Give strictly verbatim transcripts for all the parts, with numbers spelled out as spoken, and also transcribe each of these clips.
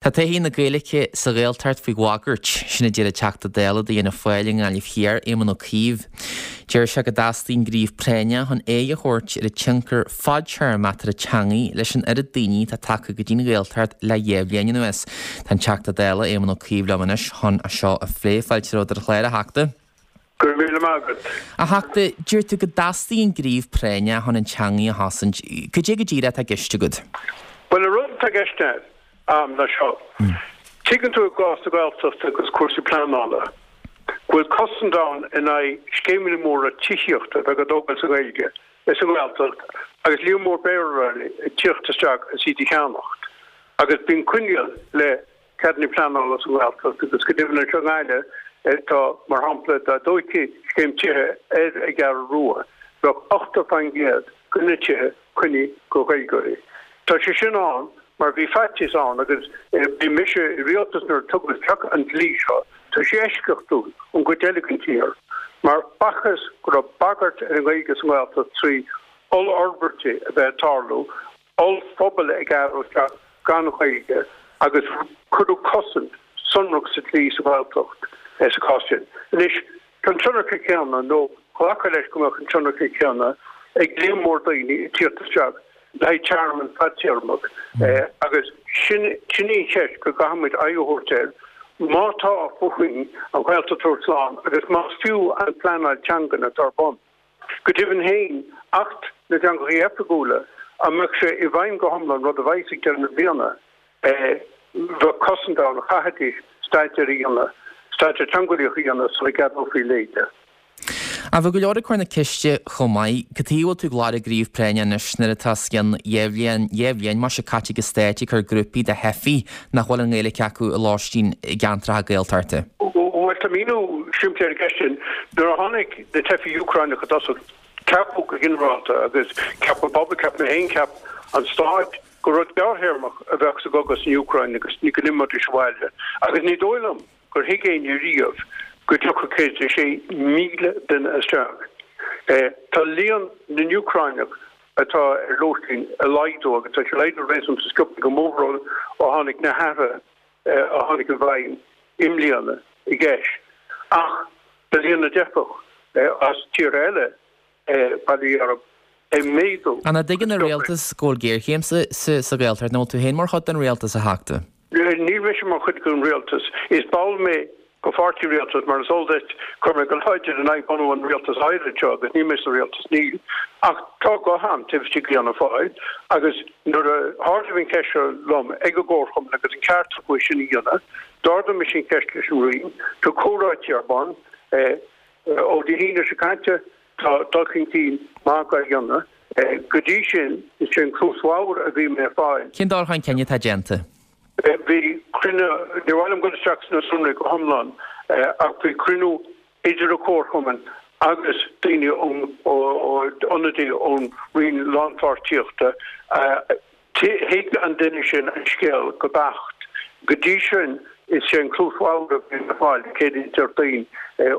Tá todhchaí na Gaeilge sa Ghaeltacht faoi bhagairt, sin a deir an Teachta Dála do Fhianna Fáil i nGaillimh Thiar, Éamon Ó Cuív. Deir sé go dteastaíonn gníomh práinneach chun aghaidh a thabhairt ar an tionchar fadtéarmach atá ar an teangaidh leis an oiread daoine atá tagtha go dtí an Ghaeltacht le dhá bhliain anuas. Tá an Teachta Dála, Éamon Ó Cuív liom anois chun é seo a phlé. Fáilte romhat ar an chlár, a Theachta. Go raibh míle maith agat. A Theachta, deir tú go dteastaíonn gníomh práinneach chun an teangaidh a chosaint. Cad é go díreach atá i gceist agat? Bhuel, an rud atá i gceist agam ná seo. Tuigeann tú i gcás na Gaeltachta agus cúrsaí pleanála, go bhfuil cosaint ann in aghaidh scéimeanna móra tithíochta a bheith á dtógáil sa Ghaeilge is sa nGaeltacht agus líon mór Béarlóirí ag tíocht isteach is iad a cheannacht. Agus bíonn coinníoll le ceadanna pleanála sa nGaeltacht agus go deimhin anseo i nGaillimh tá, mar shampla, dá dtógfaí scéim tithe ar an gCeathrú Rua, bheadh ochtó faoin gcéad de na tithe coinnithe do Ghaeilgeoirí. Tá sé sin ann mar bhí faitíos ann agus bhí mise i rialtas nuair a tugadh isteach an dlí seo, tá sé eisceachtúil ón gcuid eile den tír, mar b'fhacthas go raibh bagairt ar an nGaeilge sa nGaeltacht trí ollfhorbairtí a bheith ag tarlú, ollphobail ag athrú isteach gan Ghaeilge agus cuireadh cosaint sonrach sa dlí sa Ghaeltacht sa chás sin. Anois, tá an tionchar céanna, nó glacadh leis go mbeadh an tionchar céanna, ag líon mór daoine ag tíocht isteach le haghaidh tearmann fadtéarmach agus sin sin í an cheist go gcaithfidh muid aghaidh a thabhairt air má tá fúinn an Ghaeltacht a thabhairt slán agus más fiú an phleanáil teangan atá ar bun. Go deimhin féin, Acht na dTeangacha Oifigiúla, dá mbeadh sé i bhfeidhm go hiomlán, rud a bheas ag deireadh na bliana, bheadh cosaint ann, chaithfidís staidéar a dhéanamh, staidéar teangeolaíoch a dhéanamh sula gceadófaí leithéid. Ach bhí go leor ag cur na ceiste chomh maith, cad chuige a bhfuil tú ag lorg gníomh práinne anois nuair atá os cionn dhá bhliain, dhá bhliain mar sin caite ag an Stát ag cur grúpaí de theifigh nach bhfuil an Ghaeilge acu i lóistín i gceantracha Gaeltachta? Bhuel, tá míniú simplí ar an gceist sin. Nuair a tháinig na teifigh Úcráineacha i dtosach, ceapadh go ginearálta, agus cheap an pobal, cheap mé féin, cheap an Stát, gur rud gearrthéarmach a bheadh sa gcogadh san Úcráin agus go n-imeoidís abhaile. Agus ní dóigh liom gur thuig éinne riamh go dtiocfadh céad is a sé míle duine isteach. Tá líon na nÚcráineach atá ar lóistín ag laghdú agus tá sé ag laghdú réasúnta sciobtha go mór ó tháinig na hathruithe a tháinig i bhfeidhm i mbliana i gceist. Ach tá líon na dteifeach as tíortha eile bail ó Dhia orthu, ag méadú. An dtuigeann an rialtas go bhfuil géarchéim sa Ghaeltacht? Nó an bhfuil tú féin mar chuid den rialtas, a Theachta? Níl mise mar chuid den rialtas. Is ball mé de pháirtí rialtais, mar is eol duit, chuir mé go láidir in aghaidh bunú an rialtais áirid seo agus níl mé sa rialtas, níl. Ach tá guth agam taobh istigh d'Fhianna Fáil agus nuair a hardaíodh an cheist seo liom ag an gcomharchumann agus an ceart acu é sin a dhéanamh, d'ardaigh mise an cheist leis an Roinn, tá comhráití ar bun ó Dé hAoine seo caite. Tá dul chun cinn maith á dhéanamh. Go dtí sin, is é an cluas bhodhar a bhí mé ag fáil. Cén dul chun cinn atá déanta? Bhí cruinniú, ní mhaith liom dul isteach sna sonraí go hiomlán, ach bhí cruinniú idir an Comharchumann agus daoine ón, ionadaí ón Roinn Lánpháirtíochta. Thuig an duine sin an scéal go beacht. Go dtí sin, is é an cluas bhodhar a bhí le fáil céadaoin Déardaoin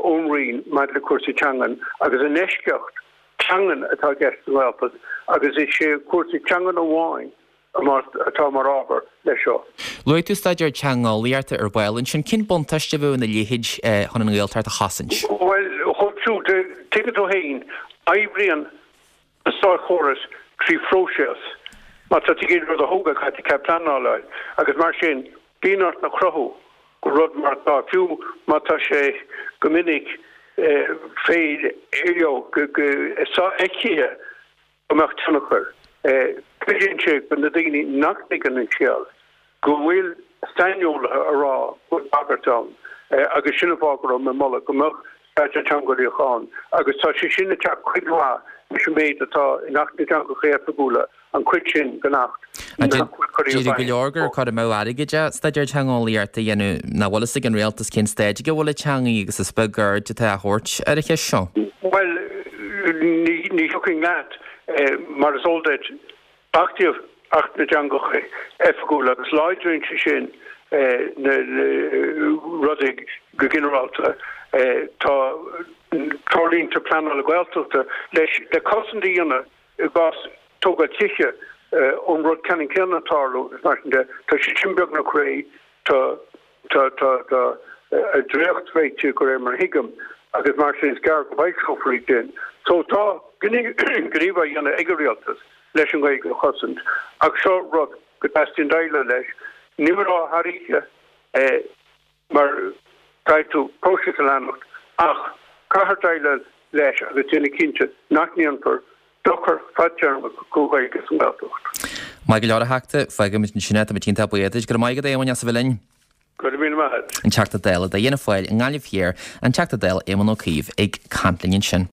ón Roinn maidir le cúrsaí teangan agus an eisceacht teangan atá i gceist sa nGaeltacht agus is é cúrsaí teangan amháin atá mar ábhar leis seo. Luaigh tú staidéar teangeolaíochta ar ball ansin. Cén buntáiste a bheadh ina leithéid chun an Ghaeltacht a chosaint? Bhuel, chomh siúd, tuigeann tú féin, oibríonn an státchóras trí phróiseas. Má tá tú ag iarraidh rud a thógáil, caithfidh tú cead pleanála a fháil agus mar sin bíonn ort a chruthú go rud mar atá, fiú má tá sé go minic fé you know go sofheicthe go mbeadh tionchar. Cuidíonn sé do na daoine nach dtuigeann an scéal go bhfuil saineolaithe ag rá go bhfuil bagairt ann agus sin an fáth go raibh mé ag moladh go mbeadh staidéar teangeolaíoch ann agus tá sé sin ag teacht cuid mhaith leis an méid atá in Acht na dTeangacha Oifigiúla, an chuid sin den Acht nach bhfuil curtha i Déarfaidh go bhfeidhm leor gur fós. cur amú airgid é staidéar teangeolaíochta a dhéanamh, nach bhfuil fhios ag an rialtas cén staid ag a bhfuil an teangaidh agus is beag aird atá á thabhairt ar an cheist seo. Bhuel, ní thiocfainn leat, mar is eol duit, Achtaíodh Acht na dTeangacha Oifigiúla agus láidríonn sé sin na rudaí go ginearálta. Tá treoirlínte pleanála Gaeltachta leis le cosaint a dhéanamh i gcás tógáil tithe an rud ceannann céanna ag tarlú is mar sin de. Tá sé sin beagnach réidh, tá tá tá tá dréacht réitithe de réir mar a thuigim agus mar sin is gearr go bhfoilseofar iad sin. So tá gníomh á dhéanamh ag an rialtas leis an Ghaeilge a chosaint ach seo rud go dteastaíonn déileáil leis. Ní rá thar oíche mar caithfidh tú próiseas a leanacht ach caithfear déileáil leis agus déanamh cinnte nach ndéanfar dochar fadtéarmach don Ghaeilge sa nGaeltacht. Maith go leor a Theachta, fágfaimid ansin é, táimid iontach buíoch duit. Go raibh maith agat a Éamoinn as a bheith linn. Go raibh míle maith agat. An Teachta Dála d'Fhianna Fáil i nGaillimh Thiar, an Teachta Dála Éamon Ó Cuív ag caint linn ansin.